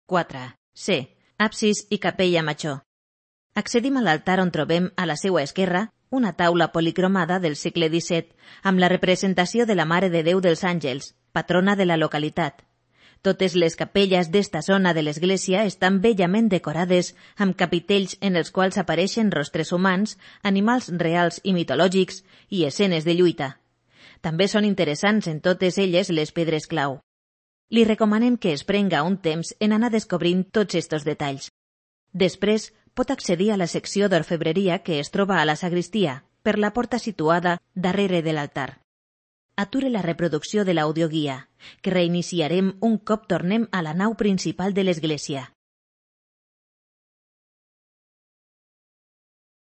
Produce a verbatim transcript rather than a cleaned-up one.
quatre. C. Absis i capella major. Accedim a l'altar on trobem, a la seua esquerra, una taula policromada del segle disset amb la representació de la Mare de Déu dels Àngels, patrona de la localitat. Totes les capelles d'esta zona de l'església estan bellament decorades amb capitells en els quals apareixen rostres humans, animals reals i mitològics i escenes de lluita. També són interessants en totes elles les pedres clau. Li recomanem que es prenga un temps en anar descobrint tots estos detalls. Després, pot accedir a la secció d'orfebreria que es troba a la sagristia, per la porta situada darrere de l'altar. Ature la reproducció de l'audioguia, que reiniciarem un cop tornem a la nau principal de l'església.